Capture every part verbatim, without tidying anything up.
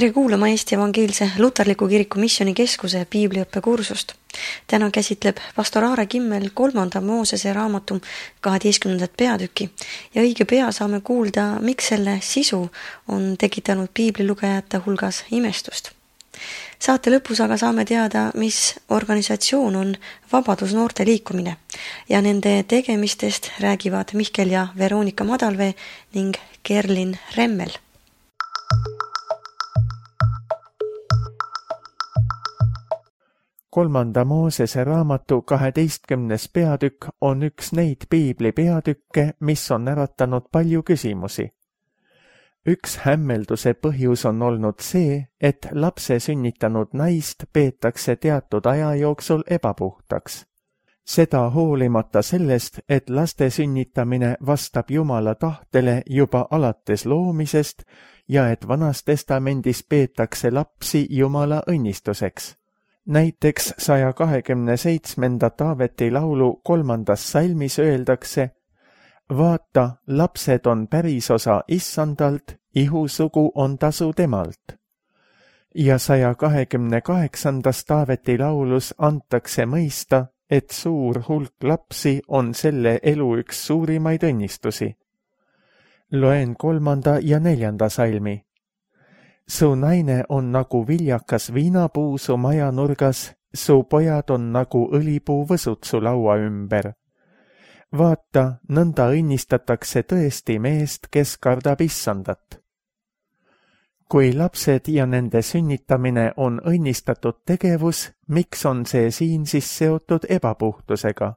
Tere kuulama Eesti Evangeelse Luterliku Kiriku Missioonikeskuse piibliõppekursust. Täna käsitleb pastor Aare Kimmel kolmanda Moosese raamatu kaheteistkümnendat peatükki ja õige pea saame kuulda, miks selle sisu on tekitanud piiblilugejate hulgas imestust. Saate lõpus aga saame teada, mis organisatsioon on Vabadusnoorte liikumine ja nende tegemistest räägivad Mihkel ja Veronika Madalvee ning Kerlin Remmel. Kolmanda Moosese raamatu kaheteistkümnes peatükk on üks neid piibli peatükke, mis on äratanud palju küsimusi. Üks hämmelduse põhjus on olnud see, et lapse sünnitanud naist peetakse teatud aja jooksul ebapuhtaks. Seda hoolimata sellest, et laste sünnitamine vastab Jumala tahtele juba alates loomisest ja et Vanas Testamendis peetakse lapsi Jumala õnnistuseks. Näiteks saja kahekümne seitsmenda Taaveti laulu kolmandas salmis öeldakse: Vaata, lapsed on pärisosa Issandalt, ihusugu on tasu temalt. Ja saja kahekümne kaheksandas Taaveti laulus antakse mõista, et suur hulk lapsi on selle elu üks suurimaid õnnistusi. Loen kolmanda ja neljanda salmi. Su naine on nagu viljakas viinapuu su majanurgas, su pojad on nagu õlipuu võsud su laua ümber. Vaata, nõnda õnnistatakse tõesti meest, kes kardab Issandat. Kui lapsed ja nende sünnitamine on õnnistatud tegevus, miks on see siin siis seotud ebapuhtusega?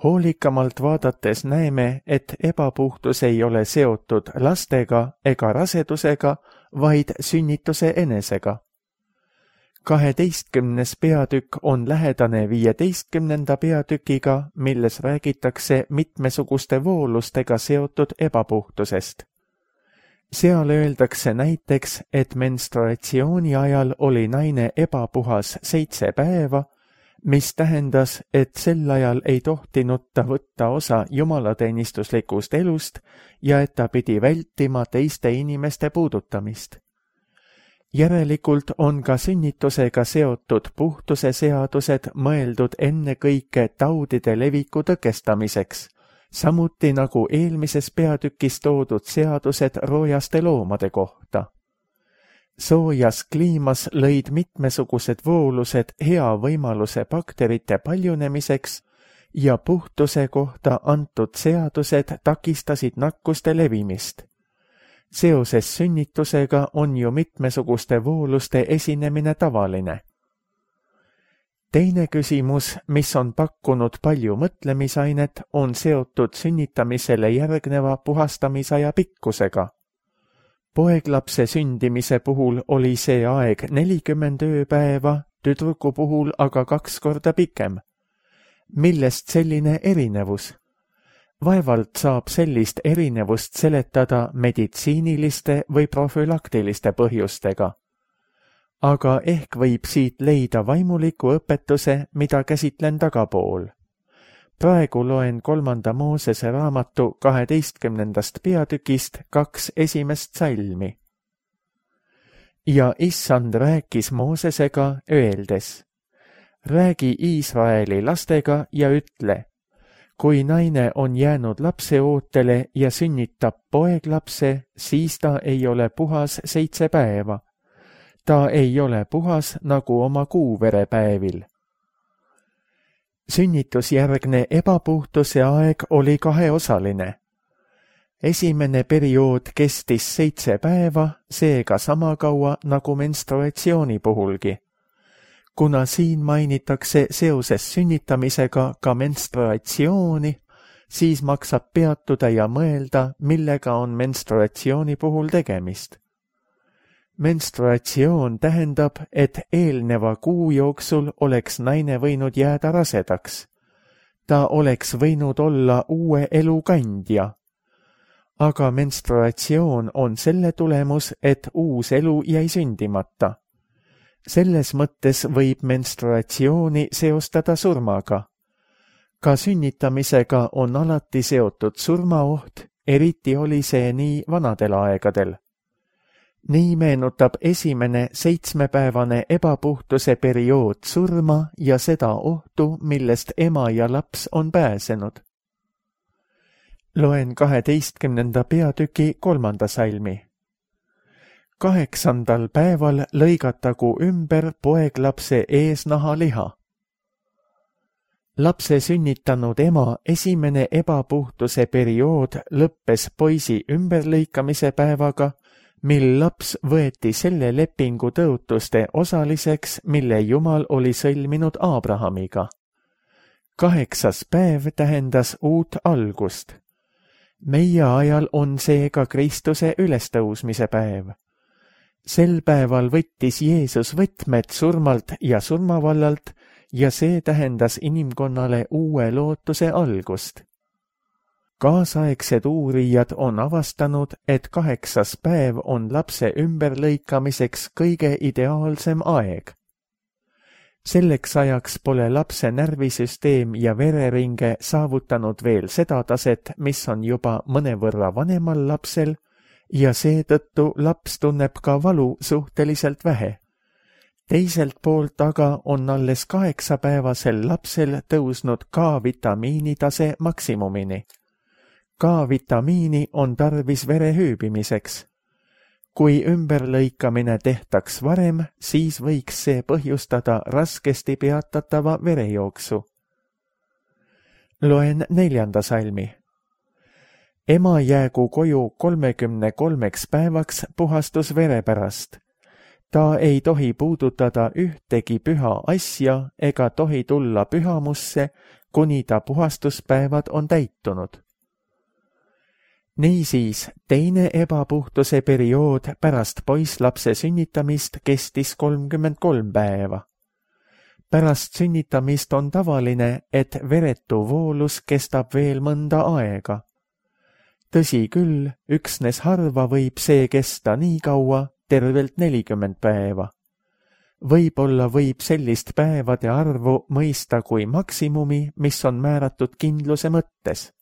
Hoolikamalt vaadates näeme, et ebapuhtus ei ole seotud lastega ega rasedusega, vaid sünnituse enesega. Kaheteistkümnes peatükk on lähedane viieteistkümnenda peatükiga, milles räägitakse mitmesuguste voolustega seotud ebapuhtusest. Seal öeldakse näiteks, et menstruatsiooni ajal oli naine ebapuhas seitse päeva, mis tähendas, et sel ajal ei tohtinud ta võtta osa jumalateenistuslikust elust ja et ta pidi vältima teiste inimeste puudutamist. Järelikult on ka sünnitusega seotud puhtuse seadused mõeldud ennekõike taudide leviku tõkestamiseks, samuti nagu eelmises peatükis toodud seadused roojaste loomade kohta. Soojas kliimas lõid mitmesugused voolused hea võimaluse bakterite paljunemiseks ja puhtuse kohta antud seadused takistasid nakkuste levimist. Seoses sünnitusega on ju mitmesuguste vooluste esinemine tavaline. Teine küsimus, mis on pakkunud palju mõtlemisainet, on seotud sünnitamisele järgneva puhastamisaja pikkusega. Poeglapse sündimise puhul oli see aeg nelikümmend ööpäeva, tüdruku puhul aga kaks korda pikem. Millest selline erinevus? Vaevalt saab sellist erinevust seletada meditsiiniliste või profülaktiliste põhjustega. Aga ehk võib siit leida vaimuliku õpetuse, mida käsitlen tagapool. Praegu loen kolmanda Moosese raamatu kaheteistkümnendast peatükist kaks esimest salmi. Ja Issand rääkis Moosesega öeldes: Räägi Iisraeli lastega ja ütle: Kui naine on jäänud lapse ootele ja sünnitab poeglapse, siis ta ei ole puhas seitse päeva. Ta ei ole puhas nagu oma kuuverepäevil. Sünnitusjärgne ebapuhtuse aeg oli kaheosaline. Esimene periood kestis seitse päeva, seega sama kaua nagu menstruatsiooni puhulgi. Kuna siin mainitakse seoses sünnitamisega ka menstruatsiooni, siis maksab peatuda ja mõelda, millega on menstruatsiooni puhul tegemist. Menstruatsioon tähendab, et eelneva kuu jooksul oleks naine võinud jääda rasedaks. Ta oleks võinud olla uue elu kandja. Aga menstruatsioon on selle tulemus, et uus elu jäi sündimata. Selles mõttes võib menstruatsiooni seostada surmaga. Ka sünnitamisega on alati seotud surmaoht, eriti oli see nii vanadel aegadel. nii meenutab esimene seitsmepäevane ebapuhtuse periood surma ja seda ohtu, millest ema ja laps on pääsenud. Loen kaheteistkümnenda peatüki kolmanda salmi. Kaheksandal päeval lõigatagu ümber poeglapse eesnaha liha. Lapse sünnitanud ema esimene ebapuhtuse periood lõppes poisi ümberlõikamise päevaga, mil laps võeti selle lepingu tõotuste osaliseks, mille Jumal oli sõlminud Abrahamiga. Kaheksas päev tähendas uut algust. Meie ajal on seega Kristuse ülestõusmise päev. Sel päeval võttis Jeesus võtmed surmalt ja surmavallalt ja see tähendas inimkonnale uue lootuse algust. Kaasaegsed uurijad on avastanud, et kaheksas päev on lapse ümberlõikamiseks kõige ideaalsem aeg. Selleks ajaks pole lapse närvisüsteem ja vereringe saavutanud veel seda taset, mis on juba mõnevõrra vanemal lapsel, ja seetõttu laps tunneb ka valu suhteliselt vähe. Teiselt poolt aga on alles kaheksapäevasel lapsel tõusnud K-vitamiini tase maksimumini. K-vitamiini on tarvis vere hüübimiseks. Kui ümberlõikamine tehtaks varem, siis võiks see põhjustada raskesti peatatava verejooksu. Loen neljanda salmi. Ema jäägu koju kolmekümne kolmeks päevaks puhastusvere pärast. Ta ei tohi puudutada ühtegi püha asja ega tohi tulla pühamusse, kuni ta puhastuspäevad on täitunud. Niisiis, teine ebapuhtuse periood pärast poisslapse sünnitamist kestis kolmkümmend kolm päeva. Pärast sünnitamist on tavaline, et veretu voolus kestab veel mõnda aega. Tõsi küll, üksnes harva võib see kesta nii kaua, tervelt nelikümmend päeva. Võib-olla võib sellist päevade arvu mõista kui maksimumi, mis on määratud kindluse mõttes.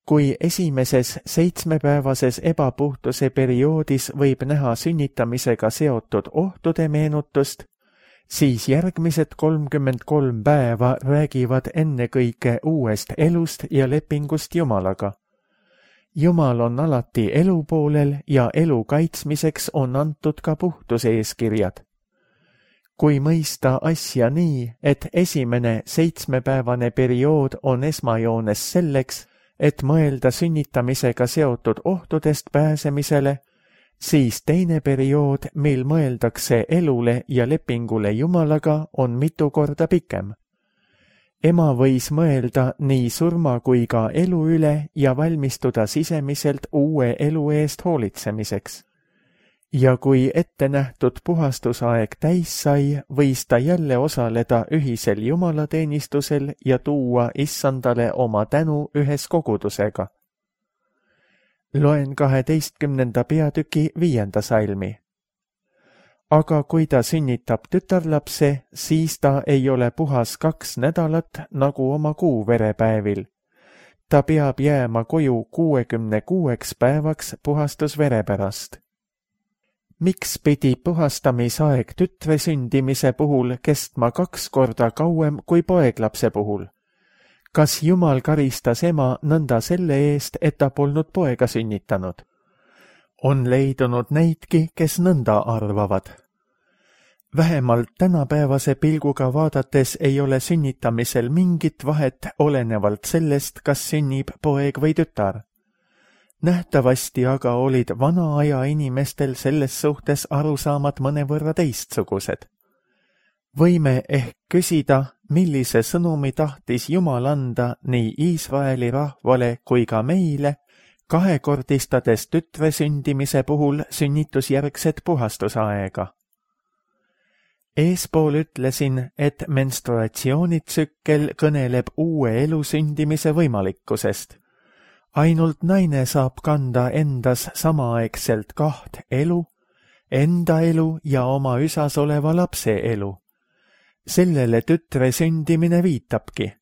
Kui esimeses seitsmepäevases ebapuhtuse perioodis võib näha sünnitamisega seotud ohtude meenutust, siis järgmised kolmkümmend kolm päeva räägivad ennekõike uuest elust ja lepingust Jumalaga. Jumal on alati elu poolel ja elu kaitsmiseks on antud ka puhtuse eeskirjad. Kui mõista asja nii, et esimene seitsmepäevane periood on esmajoones selleks, et mõelda sünnitamisega seotud ohtudest pääsemisele, siis teine periood, mil mõeldakse elule ja lepingule Jumalaga, on mitu korda pikem. Ema võis mõelda nii surma kui ka elu üle ja valmistuda sisemiselt uue elu eest hoolitsemiseks. Ja kui ette nähtud puhastusaeg täis sai, võis ta jälle osaleda ühisel jumalateenistusel ja tuua issandale oma tänu ühes kogudusega. Loen kaheteistkümnenda peatüki viienda salmi. Aga kui ta sünnitab tütarlapse, siis ta ei ole puhas kaks nädalat nagu oma kuuverepäevil. Ta peab jääma koju kuuekümne kuueks päevaks puhastusvere pärast. Miks pidi puhastamisaeg tütre sündimise puhul kestma kaks korda kauem kui poeglapse puhul? Kas Jumal karistas ema nõnda selle eest, et ta polnud poega sünnitanud? On leidunud neidki, kes nõnda arvavad. Vähemalt tänapäevase pilguga vaadates ei ole sünnitamisel mingit vahet olenevalt sellest, kas sünnib poeg või tütar. Nähtavasti aga olid vana aja inimestel selles suhtes arusaamad mõnevõrra teistsugused. Võime ehk küsida, millise sõnumi tahtis Jumal anda nii Iisraeli rahvale kui ka meile, kahekordistades tütre sündimise puhul sünnitusjärgset puhastusaega. Eespool ütlesin, et menstruatsioonitsükkel kõneleb uue elu sündimise võimalikkusest. Ainult naine saab kanda endas samaaegselt kaht elu, enda elu ja oma üsas oleva lapse elu. Sellele tütre sündimine viitabki.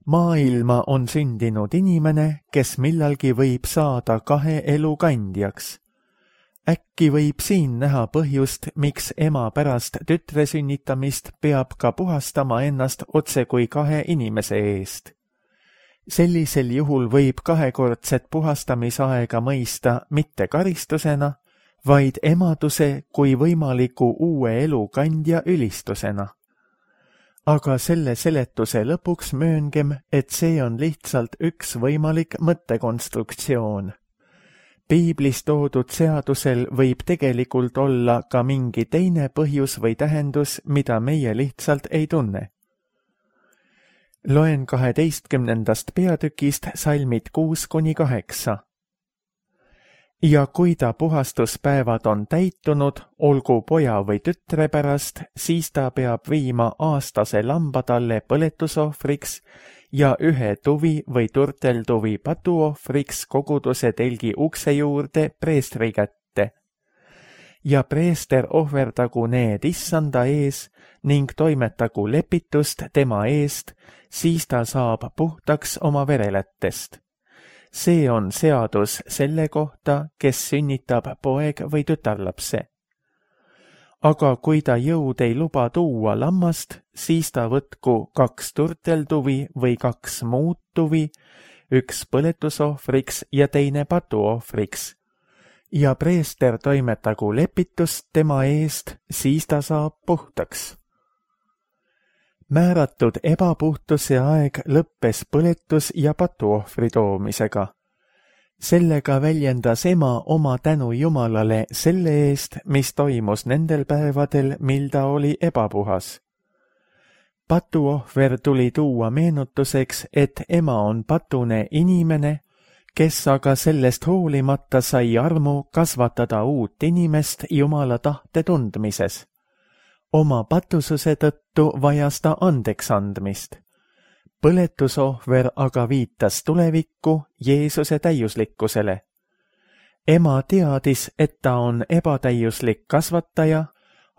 Maailma on sündinud inimene, kes millalgi võib saada kahe elu kandjaks. äkki võib siin näha põhjust, miks ema pärast tütre sünnitamist peab ka puhastama ennast otse kui kahe inimese eest. Sellisel juhul võib kahekordset puhastamisaega mõista mitte karistusena, vaid emaduse kui võimaliku uue elu kandja ülistusena. Aga selle seletuse lõpuks mööngem, et see on lihtsalt üks võimalik mõttekonstruktsioon. Piiblis toodud seadusel võib tegelikult olla ka mingi teine põhjus või tähendus, mida meie lihtsalt ei tunne. Loen kaheteistkümnendast peatükist salmid kuus kuni kaheksa. Ja kui ta puhastuspäevad on täitunud, olgu poja või tütre pärast, siis ta peab viima aastase lamba talle põletusohvriks ja ühe tuvi või turteltuvi patuohvriks koguduse telgi ukse juurde preestri kätte. Ja preester ohverdagu need issanda ees ning toimetagu lepitust tema eest, siis ta saab puhtaks oma verelättest. See on seadus selle kohta, kes sünnitab poeg või tütarlapse. Aga kui ta jõud ei luba tuua lammast, siis ta võtku kaks turteltuvi või kaks muud tuvi, üks põletusohvriks ja teine patuohvriks. Ja preester toimetagu lepitust tema eest, siis ta saab puhtaks. Määratud ebapuhtuse aeg lõppes põletus- ja patuohvri toomisega. Sellega väljendas ema oma tänu Jumalale selle eest, mis toimus nendel päevadel, mil ta oli ebapuhas. Patuohver tuli tuua meenutuseks, et ema on patune inimene, kes aga sellest hoolimata sai armu kasvatada uut inimest Jumala tahte tundmises. Oma patususe tõttu vajas ta andeks andmist. Põletusohver aga viitas tulevikku Jeesuse täiuslikkusele. Ema teadis, et ta on ebatäiuslik kasvataja,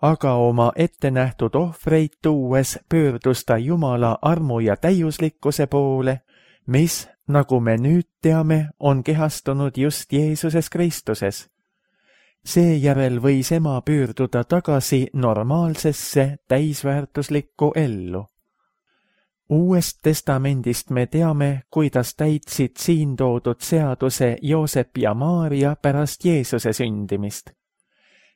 aga oma ettenähtud ohvreid tuues pöördus ta Jumala armu ja täiuslikkuse poole, mis, nagu me nüüd teame, on kehastunud just Jeesuses Kristuses. Seejärel võis ema pöörduda tagasi normaalsesse täisväärtuslikku ellu. Uuest testamendist me teame, kuidas täitsid siin toodud seaduse Joosep ja Maaria pärast Jeesuse sündimist.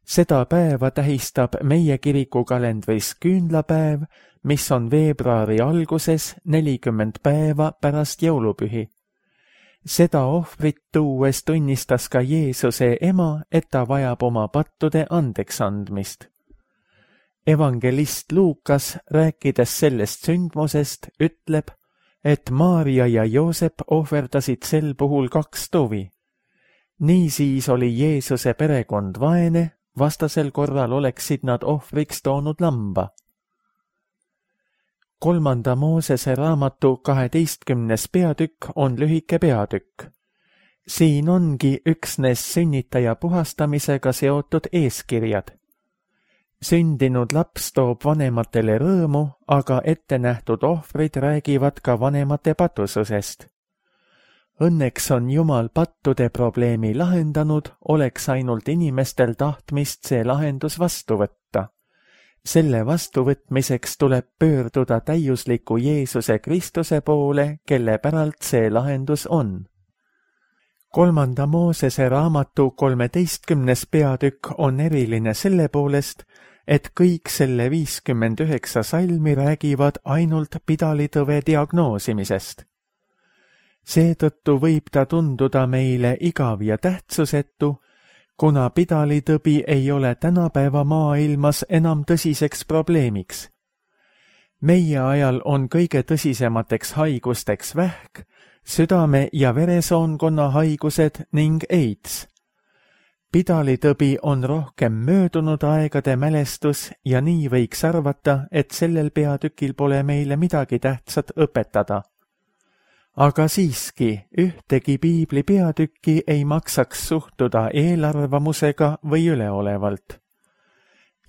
Seda päeva tähistab meie kirikukalendris küünlapäev, mis on veebruari alguses nelikümmend päeva pärast jõulupühi. Seda ohvrit tuues tunnistas ka Jeesuse ema, et ta vajab oma pattude andeks andmist. Evangelist Luukas, rääkides sellest sündmusest, ütleb, et Maaria ja Joosep ohverdasid sel puhul kaks tuvi. Niisiis oli Jeesuse perekond vaene, vastasel korral oleksid nad ohvriks toonud lamba. Kolmanda Moosese raamatu kaheteistkümnes peatükk on lühike peatükk. Siin ongi üksnes sünnitaja puhastamisega seotud eeskirjad. Sündinud laps toob vanematele rõõmu, aga ettenähtud ohvrid räägivad ka vanemate patususest. Õnneks on Jumal pattude probleemi lahendanud, oleks ainult inimestel tahtmist see lahendus vastu võtta. Selle vastuvõtmiseks tuleb pöörduda täiusliku Jeesuse Kristuse poole, kelle päralt see lahendus on. Kolmanda Moosese raamatu kolmeteistkümnes peatükk on eriline selle poolest, et kõik selle viiskümmend üheksa salmi räägivad ainult pidalitõve diagnoosimisest. Seetõttu võib ta tunduda meile igav ja tähtsusetu, kuna pidalitõbi ei ole tänapäeva maailmas enam tõsiseks probleemiks. Meie ajal on kõige tõsisemateks haigusteks vähk, südame- ja veresoonkonna haigused ning AIDS. Pidalitõbi on rohkem möödunud aegade mälestus ja nii võiks arvata, et sellel peatükil pole meile midagi tähtsat õpetada. Aga siiski, ühtegi piibli peatükki ei maksaks suhtuda eelarvamusega või üleolevalt.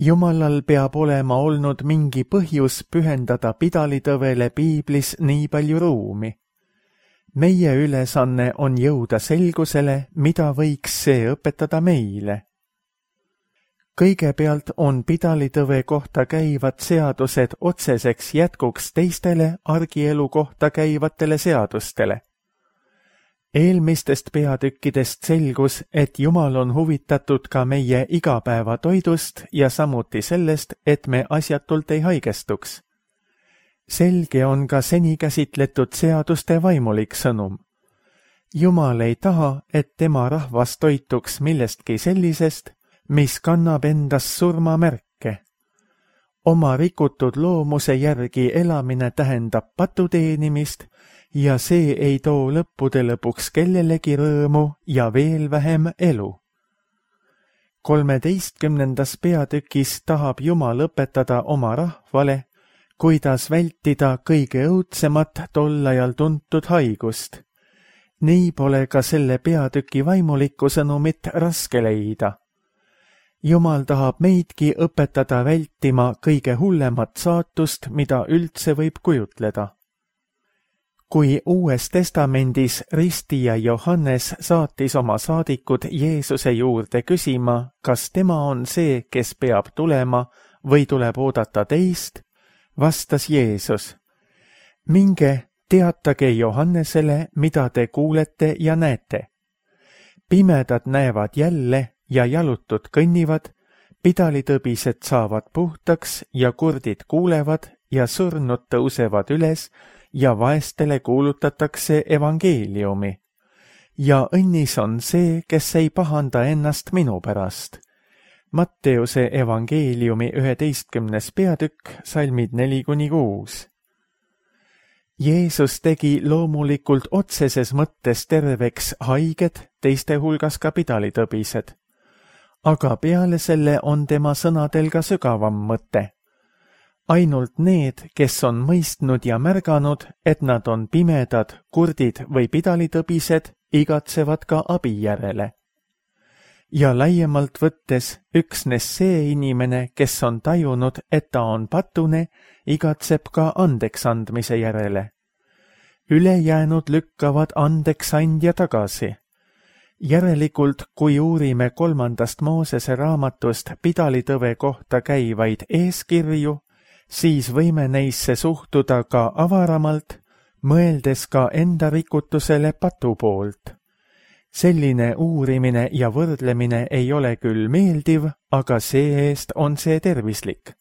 Jumalal peab olema olnud mingi põhjus pühendada pidalitõvele piiblis nii palju ruumi. Meie ülesanne on jõuda selgusele, mida võiks see õpetada meile. Kõigepealt on pidalitõve kohta käivad seadused otseseks jätkuks teistele argielu kohta käivatele seadustele. Eelmistest peatükkidest selgus, et Jumal on huvitatud ka meie igapäevatoidust ja samuti sellest, et me asjatult ei haigestuks. Selge on ka seni käsitletud seaduste vaimulik sõnum. Jumal ei taha, et tema rahvas toituks millestki sellisest, mis kannab endas surmamärke. Oma rikutud loomuse järgi elamine tähendab patuteenimist ja see ei too lõppude lõpuks kellelegi rõõmu ja veel vähem elu. kolmeteistkümnendas peatükis tahab Jumal õpetada oma rahvale, kuidas vältida kõige õudsemat tol ajal tuntud haigust. Nii pole ka selle peatüki vaimulikku sõnumit raske leida. Jumal tahab meidki õpetada vältima kõige hullemat saatust, mida üldse võib kujutleda. Kui Uues Testamendis ristija Johannes saatis oma saadikud Jeesuse juurde küsima, kas tema on see, kes peab tulema või tuleb oodata teist, vastas Jeesus: minge, teatage Johannesele, mida te kuulete ja näete. Pimedad näevad jälle ja jalutud kõnnivad, pidalitõbised saavad puhtaks ja kurdid kuulevad ja surnud tõusevad üles ja vaestele kuulutatakse evangeeliumi. Ja õnnis on see, kes ei pahanda ennast minu pärast. Matteuse evangeeliumi üheteistkümnes peatükk, salmid neli kuni kuus. Jeesus tegi loomulikult otseses mõttes terveks haiged, teiste hulgas ka pidalitõbised. Aga peale selle on tema sõnadel ka sügavam mõte. Ainult need, kes on mõistnud ja märganud, et nad on pimedad, kurdid või pidalitõbised, igatsevad ka abi järele. Ja laiemalt võttes, üksnes see inimene, kes on tajunud, et ta on patune, igatseb ka andeks andmise järele. Ülejäänud lükkavad andeks andja tagasi. Järelikult, kui uurime kolmandast Moosese raamatust pidalitõve kohta käivaid eeskirju, siis võime neisse suhtuda ka avaramalt, mõeldes ka enda rikutusele patu poolt. Selline uurimine ja võrdlemine ei ole küll meeldiv, aga see-eest on see tervislik.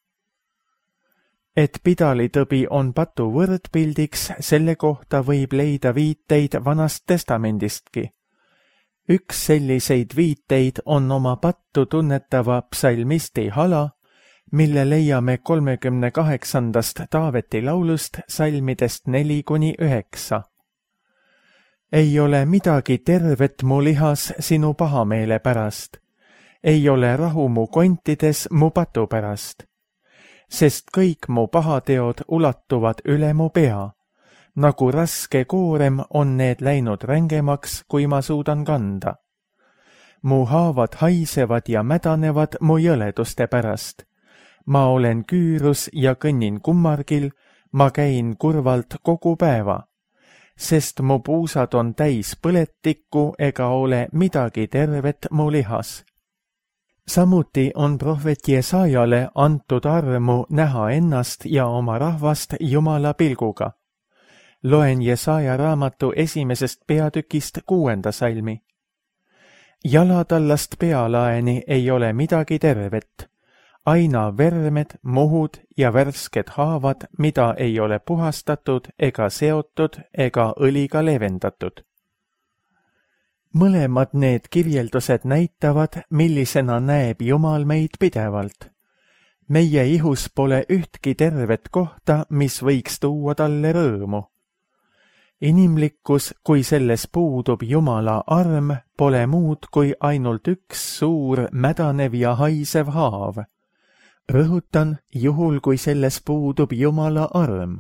Et pidalitõbi on patu võrdpildiks, selle kohta võib leida viiteid Vanast Testamendistki. Üks selliseid viiteid on oma pattu tunnetava psalmisti hala, mille leiame kolmekümne kaheksandast Taaveti laulust salmidest neli kuni üheksa. Ei ole midagi tervet mu lihas sinu pahameele pärast, ei ole rahu mu kontides mu patu pärast, sest kõik mu pahateod ulatuvad üle mu pea. Nagu raske koorem on need läinud rängemaks, kui ma suudan kanda. Mu haavad haisevad ja mädanevad mu jõleduste pärast. Ma olen küürus ja kõnnin kummargil, ma käin kurvalt kogu päeva, sest mu puusad on täis põletikku ega ole midagi tervet mu lihas. Samuti on prohvet Jesajale antud armu näha ennast ja oma rahvast Jumala pilguga. Loen Jesaja raamatu esimesest peatükist kuuenda salmi. Jalatallast pealaeni ei ole midagi tervet, aina vermed, muhud ja värsked haavad, mida ei ole puhastatud ega seotud ega õliga leevendatud. Mõlemad need kirjeldused näitavad, millisena näeb Jumal meid pidevalt. Meie ihus pole ühtki tervet kohta, mis võiks tuua talle rõõmu. Inimlikkus, kui selles puudub Jumala arm, pole muud kui ainult üks suur, mädanev ja haisev haav. Rõhutan, juhul kui selles puudub Jumala arm.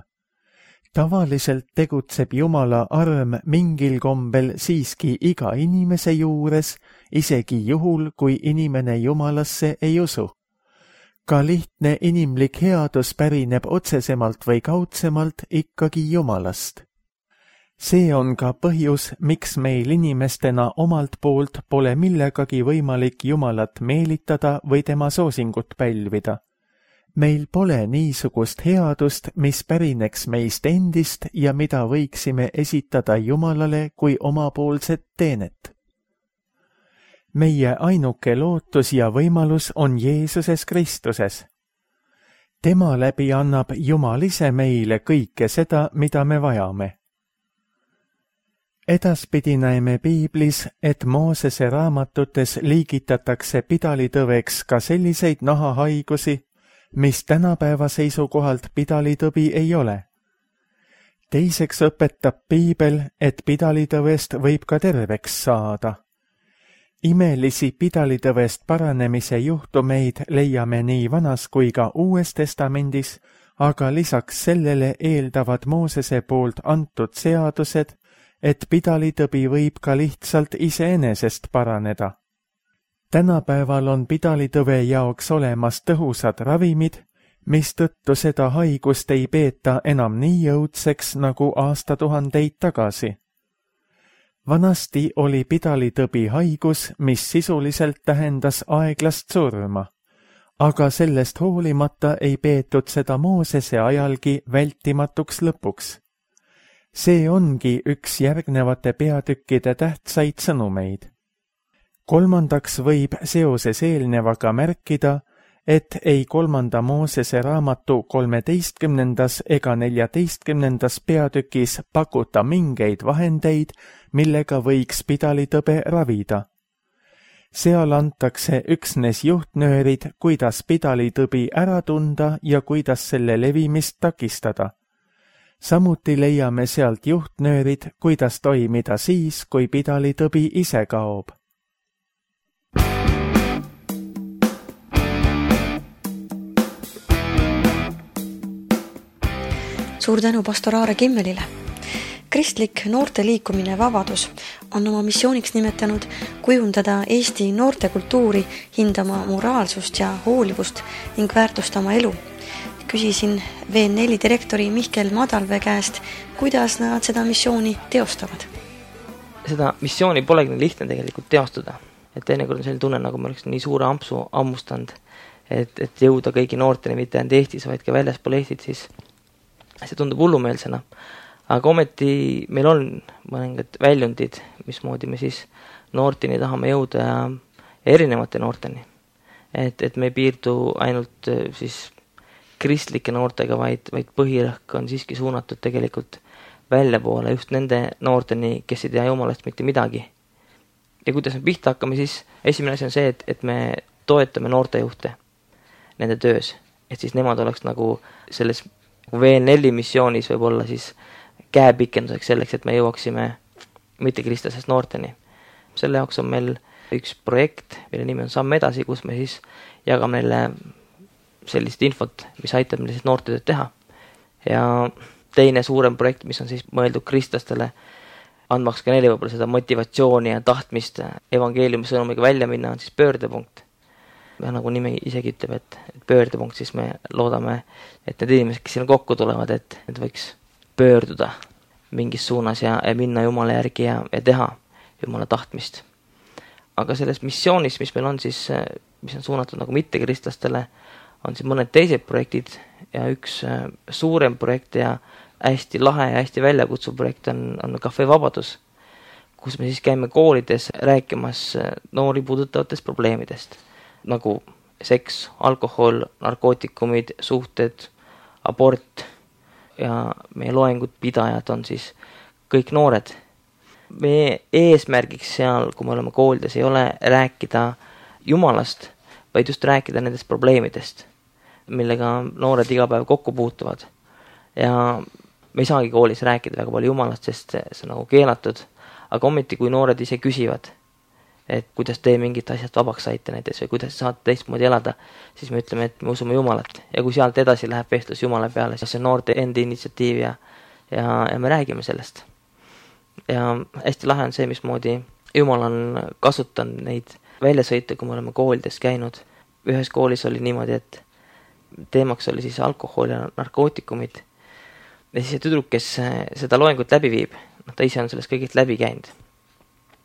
Tavaliselt tegutseb Jumala arm mingil kombel siiski iga inimese juures, isegi juhul, kui inimene Jumalasse ei usu. Ka lihtne inimlik headus pärineb otsesemalt või kaudsemalt ikkagi Jumalast. See on ka põhjus, miks meil inimestena omalt poolt pole millegagi võimalik Jumalat meelitada või tema soosingut pälvida. Meil pole niisugust headust, mis pärineks meist endist ja mida võiksime esitada Jumalale kui omapoolset teenet. Meie ainuke lootus ja võimalus on Jeesuses Kristuses. Tema läbi annab Jumal ise meile kõike seda, mida me vajame. Edaspidi näeme Piiblis, et Moosese raamatutes liigitatakse pidalitõveks ka selliseid nahahaigusi, mis tänapäeva seisukohalt pidalitõbi ei ole. Teiseks õpetab Piibel, et pidalitõvest võib ka terveks saada. Imelisi pidalitõvest paranemise juhtumeid leiame nii Vanas kui ka Uues Testamendis, aga lisaks sellele eeldavad Moosese poolt antud seadused, et pidalitõbi võib ka lihtsalt iseenesest paraneda. Tänapäeval on pidalitõve jaoks olemas tõhusad ravimid, mistõttu seda haigust ei peeta enam nii jõudseks nagu aastatuhandeid tagasi. Vanasti oli pidalitõbi haigus, mis sisuliselt tähendas aeglast surma, aga sellest hoolimata ei peetud seda Moosese ajalgi vältimatuks lõpuks. See ongi üks järgnevate peatükkide tähtsaid sõnumeid. Kolmandaks võib seoses eelnevaga märkida, et ei kolmanda Moosese raamatu kolmeteistkümnendas ega neljateistkümnendas peatükis pakuta mingeid vahendeid, millega võiks pidalitõbe ravida. Seal antakse üksnes juhtnöörid, kuidas pidalitõbi ära tunda ja kuidas selle levimist takistada. Samuti leiame sealt juhtnöörid, kuidas toimida siis, kui pidalitõbi ise kaob. Suur tänu pastor Aare Kimmelile. Kristlik noorte liikumine Vabadus on oma missiooniks nimetanud kujundada Eesti noortekultuuri, hindama moraalsust ja hoolivust ning väärtustama elu. Küsisin V neli direktori Mihkel Madalvee käest, kuidas nad seda missiooni teostavad. Seda missiooni polegi lihtne tegelikult teostada. Et teinekord on selline tunne, nagu me oleks nii suure ampsu ammustanud, et, et jõuda kõigi noorteni mitte ainult Eestis, vaid ka väljaspool Eestit, siis see tundub hullumeelsena. Aga ometi meil on mõningad väljundid, mismoodi me siis noorteni tahame jõuda ja erinevate noorteni. Et, et me ei piirdu ainult siis kristlike noortega, vaid, vaid põhirõhk on siiski suunatud tegelikult väljapoole just nende noorteni, kes ei tea Jumalast mitte midagi. Ja kuidas me pihta hakkame, siis esimene asi on see, et, et me toetame noortejuhte nende töös. Et siis nemad oleks nagu selles V neli missioonis võib olla siis käepikenduseks selleks, et me jõuaksime mitte kristlasest noorteni. Selle jaoks on meil üks projekt, mille nimi on Samm edasi, kus me siis jagame neile sellist infot, mis aitab meil siis noortetööd teha. Ja teine suurem projekt, mis on siis mõeldud kristlastele, andmaks ka neile võib-olla seda motivatsiooni ja tahtmist evangeeliumi sõnumiga välja minna, on siis pöördepunkt. Ja nagu nimi isegi ütleb, et, et pöördepunkt, siis me loodame, et need inimesed, kes sinna kokku tulevad, et need võiks pöörduda mingis suunas ja, ja minna Jumala järgi ja, ja teha Jumala tahtmist. Aga selles missioonis, mis meil on siis, mis on suunatud nagu mittekristlastele, on siin mõned teised projektid ja üks suurem projekt ja hästi lahe ja hästi väljakutsuv projekt on, on Cafe Vabadus, kus me siis käime koolides rääkimas noori puudutavatest probleemidest, nagu seks, alkohol, narkootikumid, suhted, abort ja meie loengud pidajad on siis kõik noored. Meie eesmärgiks seal, kui me oleme koolides, ei ole rääkida Jumalast, vaid just rääkida nendest probleemidest, millega noored iga päev kokku puutuvad. Ja me ei saagi koolis rääkida väga palju Jumalast, sest see on nagu keelatud, aga ometi kui noored ise küsivad, et kuidas te mingit asjast vabaks saite näiteks või kuidas saate teistmoodi elada, siis me ütleme, et me usume Jumalat. Ja kui sealt edasi läheb vestlus Jumala peale, siis see on noorte endi initsiatiiv ja, ja, ja me räägime sellest. Ja hästi lahe on see, mismoodi Jumal on kasutanud neid väljasõite, kui me oleme koolides käinud. Ühes koolis oli niimoodi, et teemaks oli siis alkohol ja narkootikumid. Ja siis see tüdruk, kes seda loengut läbi viib, ta ise on sellest kõigist läbi käinud.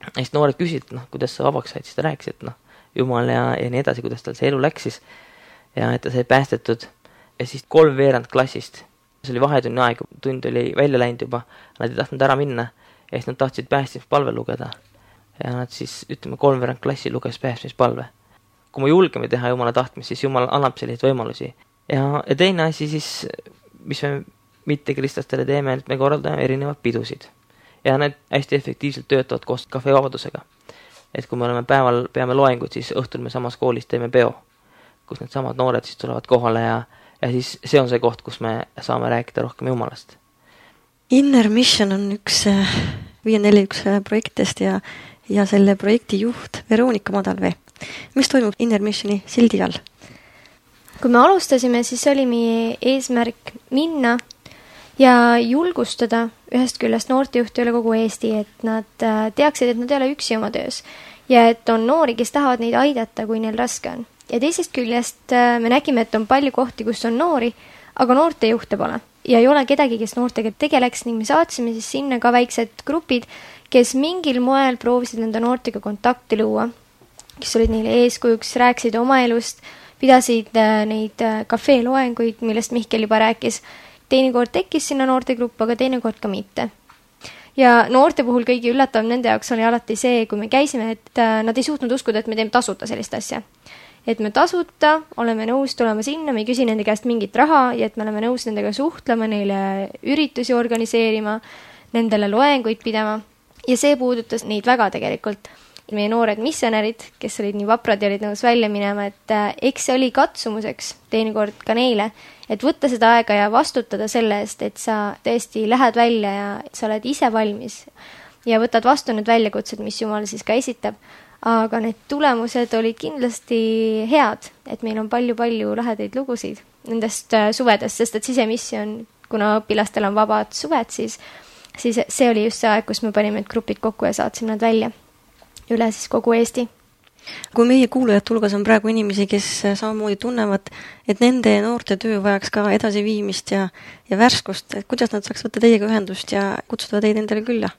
Ja siis noored küsisid, noh, kuidas sa vabaks said, siis ta rääkis, et noh, jumal ja, ja nii edasi, kuidas tal see elu läks siis ja et ta sai päästetud ja siis kolm veerand klassist, see oli vahetunni aeg, tund oli välja läinud juba, nad ei tahtnud ära minna ja siis nad tahtsid päästmispalve lugeda ja nad siis, ütleme, kolm veerand klassi luges päästmispalve. Kui me julgeme teha jumala tahtmist, siis jumal annab selliseid võimalusi ja, ja teine asi siis, mis me mitte kristlastele teeme, et me korraldame erinevad pidusid ja need hästi efektiivselt töötavad koos kafevabadusega. Et kui me oleme päeval, peame loengud, siis õhtul me samas koolis teeme peo, kus need samad noored siis tulevad kohale ja, ja siis see on see koht, kus me saame rääkida rohkem jumalast. Inner Mission on üks viie neli üks projektist ja, ja selle projekti juht Veronika Madalvee. Mis toimub Inner Missioni sildi all? Kui me alustasime, siis oli meie eesmärk minna ja julgustada ühest küljest noortejuhti üle kogu Eesti, et nad teaksid, et nad ei ole üksi oma töös ja et on noori, kes tahavad neid aidata, kui neil raske on. Ja teisest küljest me nägime, et on palju kohti, kus on noori, aga noortejuhte pole ja ei ole kedagi, kes noortega tegeleks ning me saatsime siis sinna ka väiksed grupid, kes mingil moel proovisid nende noortega kontakti luua, kes olid neile eeskujuks, rääkisid oma elust, pidasid neid kafeeloenguid, millest Mihkel juba rääkis. Teinekord tekkis sinna noortegrupp, aga teinekord ka mitte. Ja noorte puhul kõigi üllatav nende jaoks oli alati see, kui me käisime, et nad ei suutnud uskuda, et me teeme tasuta sellist asja. Et me tasuta oleme nõus tulema sinna, me ei küsi nende käest mingit raha ja et me oleme nõus nendega suhtlema, neile üritusi organiseerima, nendele loenguid pidama. Ja see puudutas neid väga tegelikult. Meie noored missionärid, kes olid nii vaprad ja olid nõus välja minema, et eks see oli katsumuseks teinekord ka neile, et võtta seda aega ja vastutada selle eest, et sa tõesti lähed välja ja sa oled ise valmis ja võtad vastu need väljakutsed, mis Jumal siis ka esitab. Aga need tulemused olid kindlasti head, et meil on palju-palju lahedaid lugusid nendest suvedest, sest et sisemissioon, kuna õpilastel on vabad suved, siis, siis see oli just see aeg, kus me panime need grupid kokku ja saatsime nad välja üle siis kogu Eesti. Kui meie kuulajad hulgas on praegu inimesi, kes samamoodi tunnevad, et nende noorte töö vajaks ka edasiviimist ja, ja värskust, et kuidas nad saaks võtta teiega ühendust ja kutsuda teid endale külla?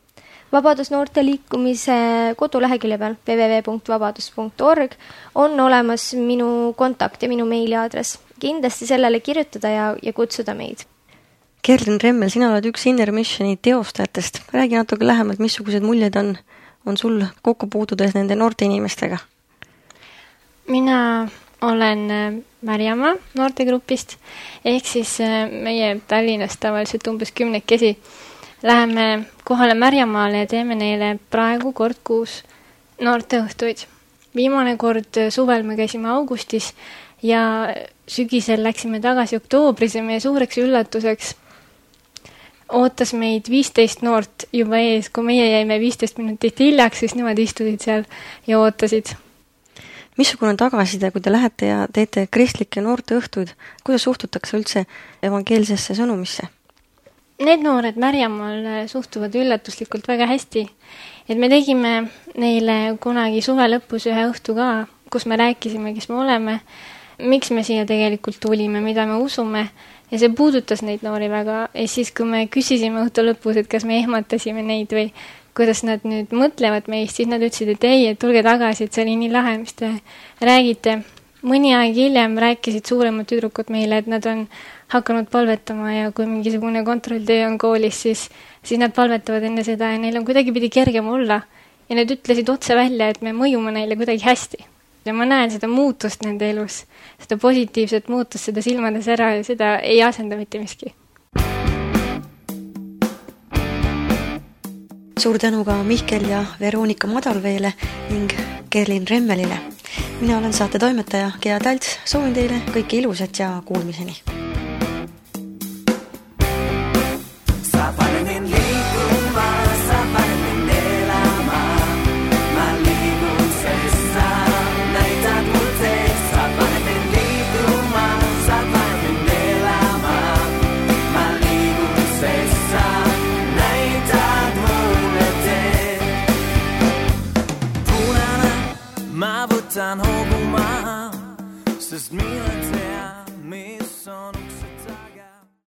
Vabadus noorte liikumise kodulehekülje peal w w w punkt vabadus punkt org on olemas minu kontakt ja minu meiliaadress. Kindlasti sellele kirjutada ja, ja kutsuda meid. Kerlin Remmel, sina oled üks Inner Missioni teostajatest. Räägi natuke lähemalt, missugused muljed on on sul kokku puutudes nende noorte inimestega? Mina olen Märjamaa noortegrupist, ehk siis meie Tallinnast tavaliselt umbes kümnekesi. Läheme kohale Märjamaale ja teeme neile praegu kord kuus noorteõhtuid. Viimane kord suvel me käisime augustis ja sügisel läksime tagasi oktoobris ja meie suureks üllatuseks ootas meid viisteist noort juba ees, kui meie jäime viisteist minutit hiljaks, siis nemad istusid seal ja ootasid. Missugune tagasiside, kui te lähete ja teete kristlikke noorte õhtuid, kuidas suhtutakse üldse evangeelsesse sõnumisse? Need noored Märjamaal suhtuvad üllatuslikult väga hästi. Et me tegime neile kunagi suve lõpus ühe õhtu ka, kus me rääkisime, kes me oleme, miks me siia tegelikult tulime, mida me usume. Ja see puudutas neid noori väga. Ja siis, kui me küsisime õhtu lõpus, et kas me ehmatasime neid või kuidas nad nüüd mõtlevad meist, siis nad ütlesid, et ei, et tulge tagasi, et see oli nii lahe, mis te räägite. Mõni aeg hiljem rääkisid suuremad tüdrukud meile, et nad on hakanud palvetama ja kui mingisugune kontrolltöö on koolis, siis, siis nad palvetavad enne seda ja neil on kuidagi pidi kergem olla. Ja nad ütlesid otse välja, et me mõjume neile kuidagi hästi. Ja ma näen seda muutust nende elus, seda positiivset muutust, seda silmades ära ja seda ei asenda mitte miski. Suur tänu ka Mihkel ja Veronika Madalveele ning Kerlin Remmelile. Mina olen saate toimetaja Gea Talts, soovin teile kõike ilusat ja kuulmiseni.